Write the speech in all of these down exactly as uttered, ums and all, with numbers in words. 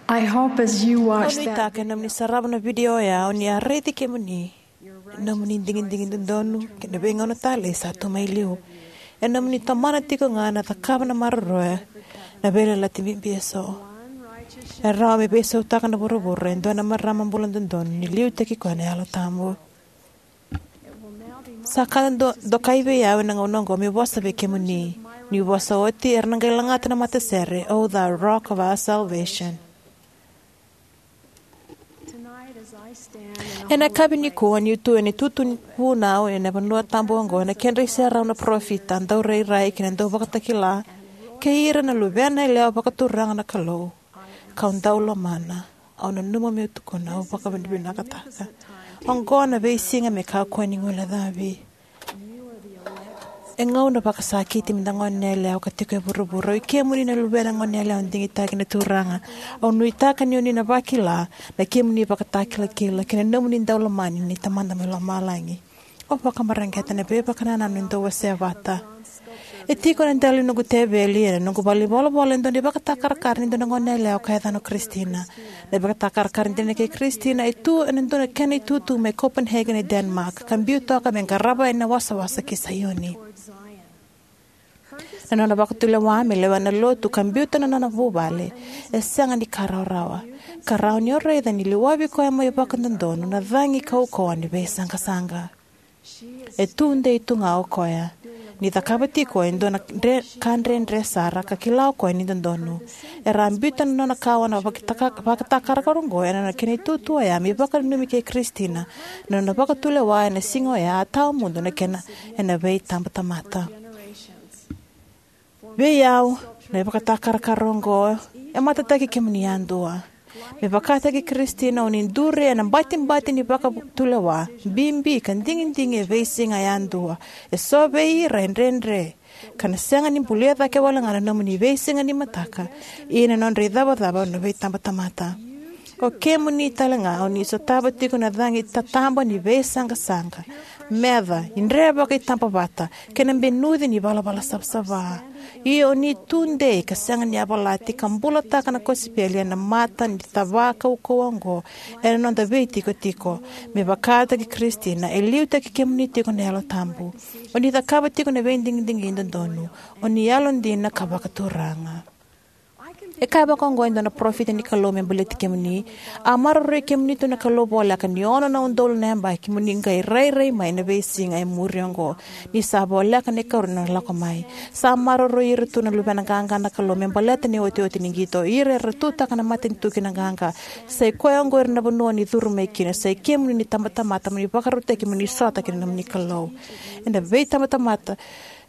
I hope as you Au watch that nuitaka ena nomuni sarava na vidio oya, o ni a raici kemuni, nomuni digidigi dodonu kei na veigauna talei sa tu mai liu, ena nomuni tomana tiko ga na cakava na maroroya na veiyalayalati bibi eso. E rawa me veisautaka na vuravura e dua na marama bula dodonu ni liutaki koya na Yalo Tabu. Sa ka do, dokai vei au ena gauna oqo meu vosa vei kemuni. Niu vosa oti, era na qai lagata na matasere, "O thou Rock of our salvation." Ena yakavi nikua, niu tu ena itutu vunau ena vanua tabu oqo, ena kedra iserau na parofita, daurairai kei na dauvakatakila, kei ira na luvena yalewa vakaturaga na Kalou, kau dau lomana, au nanuma meu tukuna, au vakavinavinakataka. Oqo na veisiga me kakua ni guilecavi. E gauna vakasakiti meda goneyalewa ka tiko e vuravura. O i kemuni na luvena goneyalewa digitaki na Turaga. Au nuitaka ni o ni na vakila na kemuni ivakatakilakila kei na nomuni daulomani ni Tamada mai lomalagi. Au vakamareqeta na veivakanananu e dau wasea vata. E tiko ena dela ni noqu teveli ena noqu valenivolavola e dua na ivakatakarakara ni dua na goneyalewa ka yacana o Kristina. Na ivakatakarakara dina kei Kristina e tu ena dua na kena itutu mai Copenhagen e Denmark, ka biu toka me qarava yani na wasawasa ki Saioni. Na nona vakatulewa me lewena na lotu ka biuta na nona vuvale e sega ni ka rawarawa, ka rawa ni o raica ni liwavi koya mai vakadodonu na cagi kaukauwa ni veisaqasaqa. E tudei tu ga o koya, ni cakava tiko e dua na dre, ka dredre sara, ka kila o koya ni dodonu. Era a biuta na nona kawa na vakataka, vakatakarakara oqo ena nona kena itutu oya me ivakananumi kei Kristina, na nona vakatulewa ena siga oya a tawamudu na kena ena veitabatamata. Vei au, na ivakatakarakara oqo e matataki kemuni yadua. Me vakataki Kristina, o ni duri ena batibati ni vakatulewa bibi ka digidigi e veisiga yadua. E so vei ira e dredre ka na sega ni bulia cake wale ga na nomuni veisiga ni mataka, ia na nodra icavacava na veitabatamata. O kemuni tale ga o ni sotava tiko na cagi tataba ni veisaqasaqa, meca, idre vakaitabavata, kei na benuci ni valavala savasava. Ia o ni tudei ka sega ni yavalati ka bulataka na kosipeli ena mata ni cava kaukauwa oqo ena noda veitikotiko. Me vakataki Kristina, e liutaki kemuni tiko na Yalo Tabu. O ni cakava tiko na veidigidigi dodonu. O ni yalodina ka vakaturaga. E kaya vaka oqo e dua na parofita ni Kalou me baleti kemuni. A maroroi kemuni tu na Kalou voleka ni ono na udolu na yabaki mo ni qai rairai mai na veisiga e muri oqo, ni sa voleka na ikarua ni nona lako mai. Sa maroroi ira tu na luvena qaqa na Kalou me baleta na iotioti ni qito. Ira era tutaka na matanitu ki na qaqa. Sa i koya oqo ira na vanua ni curu mai kina. Sa i kemuni na itabatamata mo ni vakarautaki mo ni sota kei na nomuni Kalou. Ena veitabatamata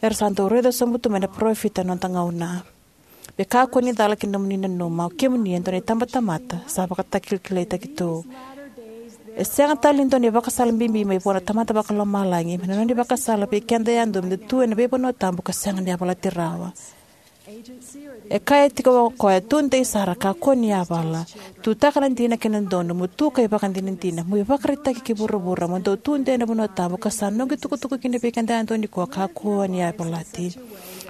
era sa dau raica sobu tu mai na parofita ena noda gauna. Me kakua ni cala ki na nomuni nanuma, o kemuni e dua na itabatamata sa vakatakilakilaitaki tu. E sega tale ni dua na ivakasala bibi mai vua na Tamada Vakalomalagi, me na nona ivakasala vei keda yadua meda tu ena veivanua tabu ka sega ni yavalati rawa. E kaya tiko o koya, tudei sara, kakua ni yavala. Tutaka na dina kei na dodonu, mo tu ka ivakadinadina, mo ivakaraitaki ki vuravura, mo dau tudei ena vanua tabu ka sa noqu itukutuku kina vei keda yadua nikua, kakua ni yavalati.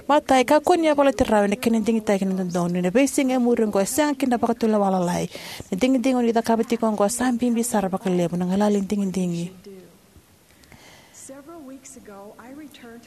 Matai, kakua ni yavalati rawa ena kena digitaki na dodonu. Ena veisiga e muri oqo e sega kina na vakatulewa lalai. Na digidigi o ni cakava tiko oqo sa bibi sara vakalevu, na galala ni digidigi.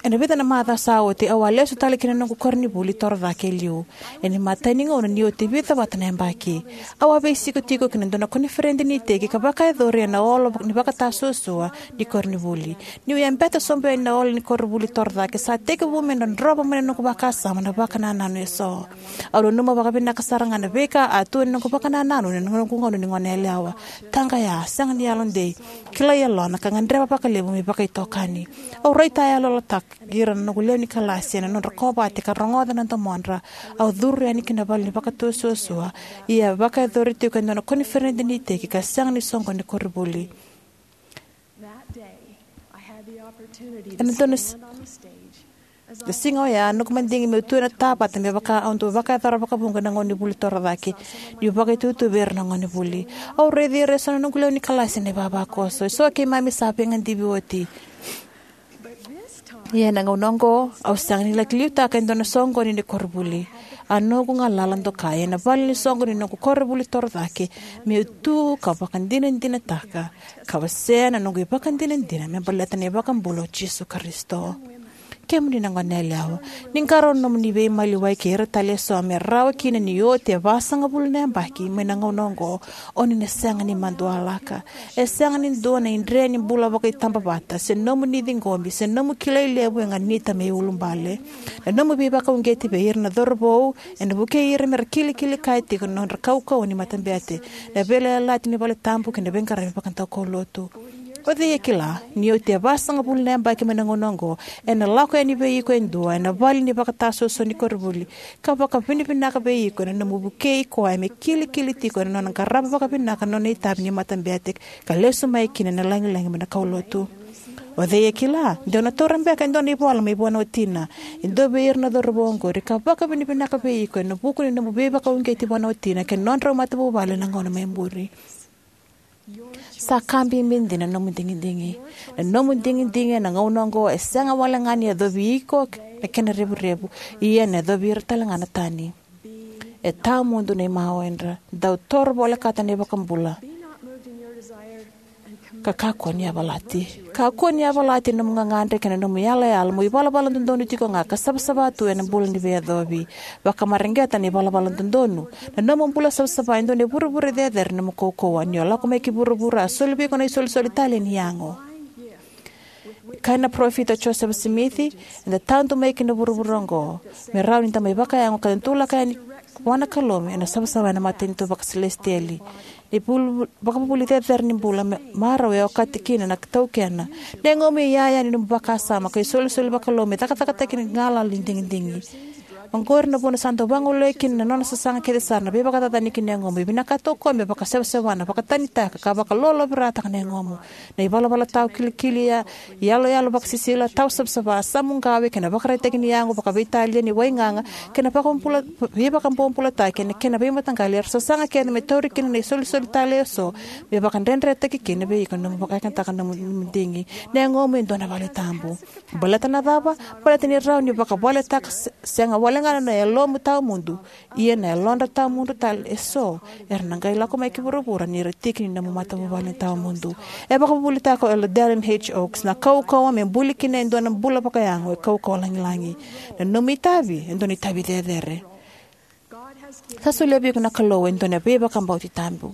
Ena vica na macawa sa oti, au a lesu tale ki na noqu koronivuli torocake e liu. Ena imatai ni gauna ni oti vica vata na yabaki, au a veisikotiko ki na dua na koniferedi ni iteki ka vakayacori ena olo ni vakatasuasua ni koronivuli. Niu yabeta sobu yani na olo ni koronivuli torocake, sa tekivu me drodrova mai na noqu vakasama na vakanananu eso. Au nanuma vakavinaka sara ga na veika a tu ena noqu vakanananu ena noqu gauna ni goneyalewa. Taqaya, sega ni yalodei, kilai yalona, ka gadreva vakalevu me vakaitokani. Au raitayaloyalotaki ira na noqu lewe ni kalasi ena nodra kovate ka rogoca na domodra. Au curu yani ki na vale ni vakatasuasua, ia vakayacori tiko e dua na koniferedi ni iteki ka sega ni soqoni koronivuli. Ena dua na s-, na siga oya, noqu madigi meu tu ena tavata me vaka au dau vakayacora vakavuqa ena gauna ni vuli torocake, niu vakaitutu vei ira na gonevuli. Au raici ira eso na noqu lewe ni kalasi ena ivavakoso. Eso keimami sa veigadivi oti. Ia ena gauna oqo, au sega ni laki liutaka e dua na soqoni ni koronivuli. A noqu galala dokai ena vale ni soqo ni noqu koronivuli torocake, meu tu ka vakadinadinataka ka wasea na noqu ivakadinadina me baleta na iVakabula o Jisu Karisito. Kemuni na goneyalewa, ni qarauna na nomuni veimaliwai kei ira tale eso me rawa kina ni oti e vasagavulu na yabaki mai na gauna oqo, o ni na sega ni madualaka. E sega ni dua na idre ni bula vakaitabavata, se nomu ni ciqomi, se nomu kilai levu e ganita me iulubale. Na nomu veivakauqeti vei ira na cauravou ena vukei ira mera kilikili kaya tiko na nodra kaukauwa ni matabete, na veiyalayalati ni valetabu kei na veiqaravi vakadaukaulotu. O cei e kila, ni oti e vasagavulu na yabaki mai na gauna oqo, ena lako yani vei iko e dua ena vale ni vakatasoso ni koronivuli, ka vakavinavinaka vei iko ena nomu vukei koya me kilikili tiko ena nona qarava vakavinaka na nona itavi ni matabete, ka lesu mai kina ena lagilagi mai na kaulotu. O cei e kila, de o na taura beka e dua na ivola mai vua na watina, e dua vei ira na cauravou oqori, ka vakavinavinaka vei iko ena vuku ni nomu veivakauqeti vua na watina kei na nodrau matavuvale ena gauna mai muri. Sa ka bibi dina na nomu digidigi. Na nomu digidigi ena gauna oqo e sega wale ga ni yacovi iko na kena revurevu, ia ena yacovi ira tale ga na tani. E tawamudu na imawe, dra dau toro volekata na iVakabula, ka kakua ni yavalati. Kakua ni yavalati ena nomu gagadre kei na nomu yalayala mo ivalavala dodonu tiko ga ka savasava tu ena bula ni veiyacovi. Vakamareqeta na ivalavala dodonu. Na nomu bula savasava e dua na ivurevure cecere ni nomu kaukauwa. Ni o lako mai ki vuravura, a soli vei iko na isolisoli talei ni yago. E kaya na parofita o Josefa Simici, eda tadu mai ki na vuravura oqo me rawa ni da mai vakayago ka da dulaka yani vua na Kalou ena savasava ena matanitu vakasilesitieli. Na ivulu- vakavuvuli cecere ni bula me- marau e okati kina na taukena. Na yagomu e iyaya ni nomu vakasama ka isolisoli vakalou me cakacakataki na galala ni digidigi. Oqori na vuna sa dau vagolei kina na nona sasaga kece sara na veivakacacani ki na yagomu. E vinakata o koya me vakasewasewana, vakatanitaka, ka vakalolovirataka na yagomu. Na ivalavala tawa kilikili, ya, iyaloyalo vakasisila, tawa savasava, samuqawe, kei na vakaraitaki ni yago vakaveitalia ni waigaga, kei na vakabula- veivakabobulataki ena kena veimataqali era sasaga kece me tauri kina na isolisoli talei eso, me vakadredretaki kina vei iko na nomu vakayagataka na nomu- nomu digi. Na yagomu e dua na vale tabu. Baleta na cava? Baleta ni rawa ni vakavaletaka se- sega wale ga na yalomu tawamudu, ia na yalodra tawamudu tale eso era na qai lako mai ki vuravura ni ra tiki ni nomu matavuvale tawamudu. E vakavuvulitaka o Elder Dallin H. Oaks, na kaukauwa me buli kina e dua na bula vakayago e kaukauwa lagilagi. Na nomu itavi e dua na itavi cecere. Sa solia vei iko na Kalou e dua na veivakabauti tabu.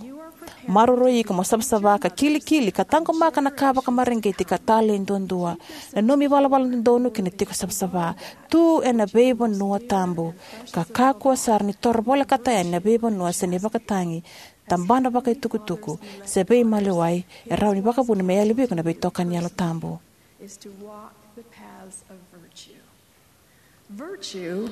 Maroroi iko mo savasava ka kilikili ka taqomaka na ka vakamareqeti ka talei duadua, na nomu ivalavala dodonu kei na tiko savasava. Tu ena veivanua tabu, ka kakua sara ni toro volekata yani na veivanua se na ivakatagi, tabana vakaitukutuku, se veimaliwai e rawa ni vakavuna me yali vei iko na veitokani Yalo Tabu. Is to walk the paths of virtue. Virtue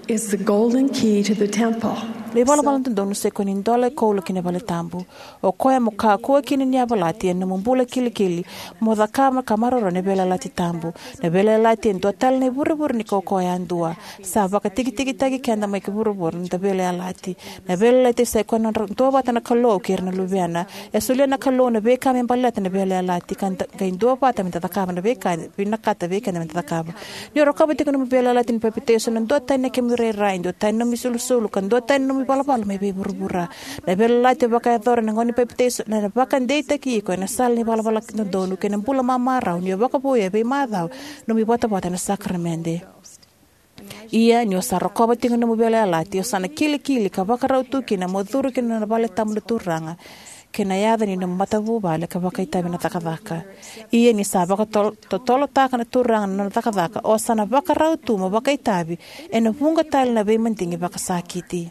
is the golden key to the temple. Na ivalavala dodonu sa ikoya na idola e koula ki na vale tabu. O koya mo kakua kina ni yavalati ena nomu bula kilikili, mo cakava ka maroroya na veiyalayalati tabu. Na veiyalayalati e dua tale na ivurevure ni kaukauwa yadua. Sa vakatikitikitaki keda mai ki vuravura na noda veiyalayalati. Na veiyalayalati sa ikoya na nodra duavata na Kalou kei ira na luvena. E solia na Kalou na veika me baleta na veiyalayalati ka da qai duavata me da cakava na veika e vinakata vei keda me da cakava. Ni o rokova tiko na nomu veiyalayalati ni papitaiso, na duatani na kemu irairai, duatani na nomu isulusulu, ka duatani na nomu ivalavala mai vei vuravura. Na veiyalayalati e vakayacora ena gauna ni papitaiso ena vakadeitaki iko ena sala ni valavala dodonu kei na bula mamarau ni o vakavouya e veimacawa na nomu ivotavota ena sakaramede. Ia ni o sa rokova tiko na nomu veiyalayalati, o sa na kilikili ka vakarau tu kina mo curu ki na vale tabu ni Turaga kei na yaca ni nomu matavuvale ka vakaitavi ena cakacaka. Ia ni sa vakatotolotaka na Turaga na nona cakacaka, o sa na vakarau tu mo vakaitavi ena vuqa tale na veimadigi vakasakiti.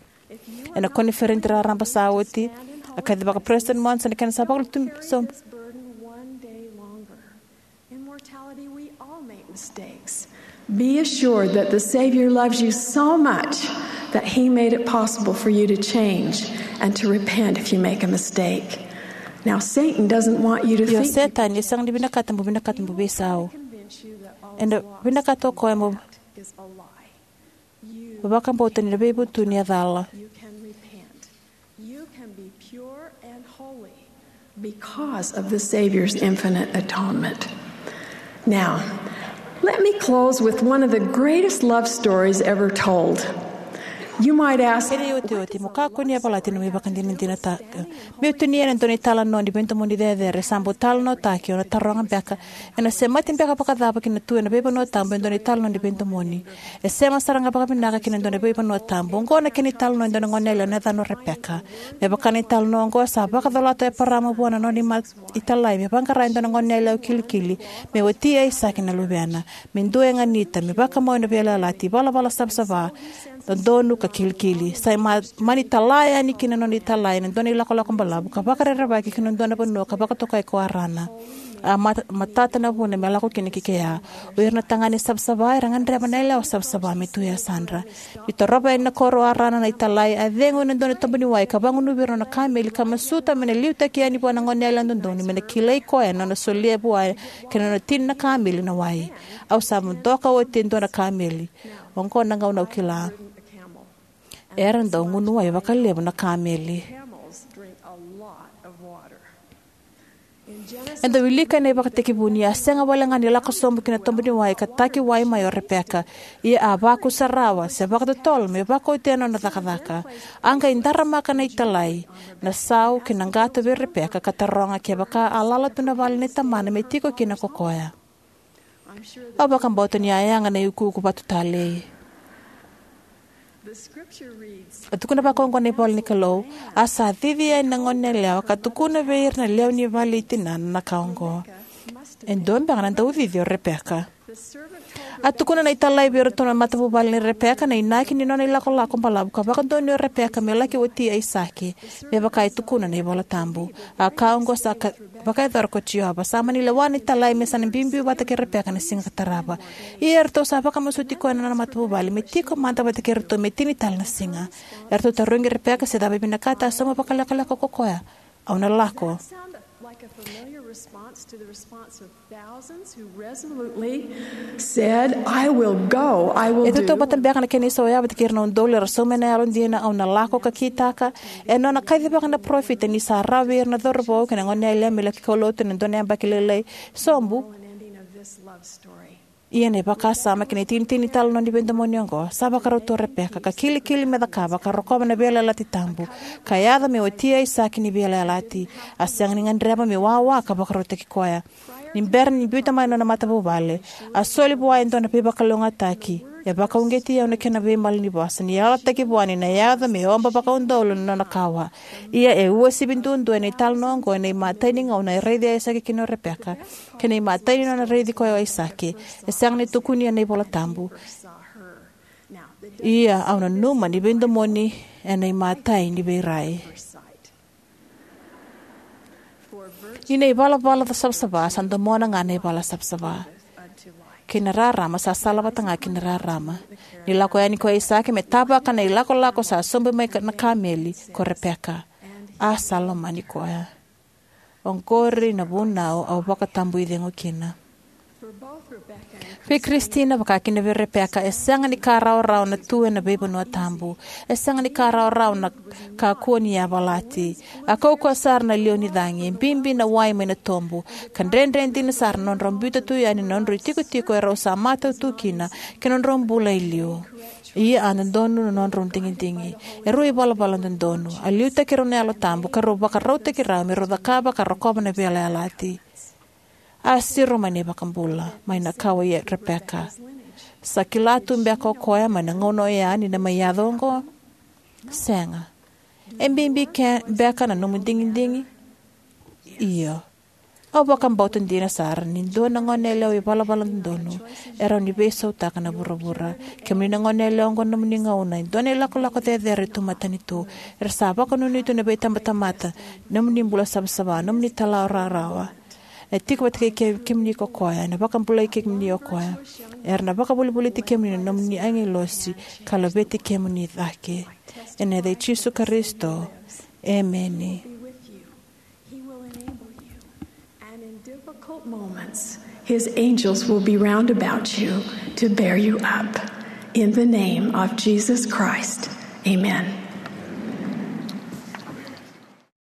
Ena koniferedi raraba sa oti, a kacivaka President Monson, kena sa vakalutu so. Immortality, we all make mistakes. Be assured that the Savior loves you so much that He made it possible for you to change and to repent if you make a mistake. Now, Satan doesn't want you to Io, think Setani e sega ni vinakata mo vinakata mo veisau. Ena vinakata o koya mo is a lie. Vakabauta ni na veivutuni e cala. You can repent. You can be pure and holy because of the Savior's infinite atonement. Now, let me close with one of the greatest love stories ever told. You might ask, kena iotioti, mo kakua ni yavalati na nomu ivakadinadinataka. Meu tinia ena dua na italanoa ni veidomoni cecere sa bau talanoataki, o na taroga beka, ena semati beka vakacava ki na tu ena veivanua tabu e dua na italanoa ni veidomoni? E sema sara ga vakavinaka ki na dua na veivanua tabu. Oqo na kena italanoa e dua na goneyalewa na yacana o Repeka. Me vaka na italanoa oqo, sa vakacolata o Eparama vua na nona ima italai me vaqara e dua na goneyalewa kilikili me wati Aisake na luvena, me dua e ganita, me vakamau ena veiyalayalati, ivalavala savasava, dodonu ka kilikili. Sa ma-, mani tala yani ki na nona italai ena dua na ilakolako balavu ka vakarerevaki ki na dua na vanua ka vakatokai ko Arana. A mat-, matata na vuna me lako kina ki kea. O ira na tagane savasava era gadreva na yalewa savasava me tu e yasadra. Ni torova yani na koro o Arana na italai, a cegu ena dua na tobu ni wai ka vagunuvi ira na nona kameli ka masuta me na liutaki yani vua na goneyalewa dodonu me na kilai koya na nona solia vua kei na nona tini na kameli na wai. Au sa vodoka oti e dua na kameli. Oqo na gauna au kila. Era dau gunu wai vakalevu na kameli. Eda wilika ena iVakatekivu ni a sega wale ga ni lako sobu ki na tobu ni wai ka taki wai mai o Repeka, ia a vakusarawa se vakatotolo me vakaotia na nona cakacaka. A qai daramaka na italai, na sau kei na qato vei Repeka ka taroga kevaka a lala tu na vale nei tamana me tiko kina ko koya. Au vakabauta ni a yaga na iukuuku vatu talei. A tukuna vaka oqo na ivola ni Kalou: A sa cici yani na goneyalewa ka tukuna vei ira na lewe ni vale i tinana na ka oqo. E dua beka na daucici o Repeka. A tukuna na italai vei iratou na matavuvale nei Repeka na inaki ni nona ilakolako balavu ka vakadonuya o Repeka me laki wati Aisake, me vaka e tukuna na iVola Tabu. A ka oqo sa ka-, vakayacora ko Jiova. Sa mani lewa na italai me sa na biubiu vata kei Repeka na siga ka tarava. Ia eratou sa vakamasuti koya na nona matavuvale me tiko mada vata kei iratou me tini tale na siga. Eratou tarogi Repeka se cava e vinakata, a sauma vakalekaleka ko koya: Au na lako. Sound like a familiar response to the response of thousands who resolutely said, "I will go, I will do." E tautauvata beka na kena isau ya vata kei ira na udolu era sauma ena yalodina, "Au na lako," ka kitaka? E nona kacivaka na parofita ni sa rawa vei ira na cauravou kei na goneyalewa me laki kaulotu ena dua na yabaki lailai sobu. An ending of this love story. Ia na ivakasama kei na itinitini ni italanoa ni veidomoni oqo, sa vakarau tu o Repeka ka kilikili me cakava ka rokova na veiyalayalati tabu, ka yaco me wati Aisake ni veiyalayalati. A sega ni gadreva me wawa ka vakarautaki koya. Ni bera ni biuta mai na nona matavuvale, a soli vua e dua na veivakalougatataki. E vakauqeti au na kena veimalanivosa ni yalataki vua ni na yaco me oba vakaudolu na nona kawa. Ia e uasivi duadua ena italanoa oqo ena imatai ni gauna e raici Aisake kina o Repeka kei na imatai ni nona raici koya o Aisake. E sega ni tukuni ena iVola Tabu. Ia au nanuma ni veidomoni ena imatai ni veirai. Ni na ivalavala savasava sa domona ga na ivala savasava, kei na rarama sa salavata ga ki na rarama. Ni lako yani ko Aisake me tavaka na ilakolako sa sobu mai ka-, na kameli, ko Repeka, a sa lomani koya. Oqori na vunau au vakatabuicegu kina. Vei Kristina, vaka kina vei Repeka, e sega ni ka rawarawa na tu ena veivanua tabu. E sega ni ka rawarawa na kakua ni yavalati. A kaukauwa sara na liwa ni cagi, e bibi na wai mai na tobu, ka dredre dina sara na nodrau biuta tu yani na nodrau itikotiko erau sa matau tu kina, kei na nodrau bula e liu. Ia a dodonu na nodrau digidigi. E rau ivalavala dodonu. A liutaki rau na Yalo Tabu, ka rau vakarautaki rau me rau cakava ka rokova na veiyalayalati. A siro mai na iVakabula mai na kawa i Repeka. Sa kila tu beka o koya mai na gauna oya ni na mai yaco oqo? Sega. E bibi ke beka na nomu digidigi? Io. Au vakabauta dina sara ni dua na goneyalewa ivalavala dodonu e rawa ni veisautaka na vuravura. Kemuni na goneyalewa oqo na nomuni gauna, e dua na ilakolako cecere tu matanitu. Era sa vakanuinui tu na veitabatamata, nomuni bula savasava, nomuni talawa rawarawa. E tiko vata kei ke-, kemuni ko koya, ena vakabulai kemuni o koya. Era na vakavolivoliti kemuni na nomuni agilosi ka laveti kemuni cake. Ena yaca i Jisu Karisito. Emeni. He will enable you. And in difficult moments, his angels will be round about you to bear you up. In the name of Jesus Christ, amen.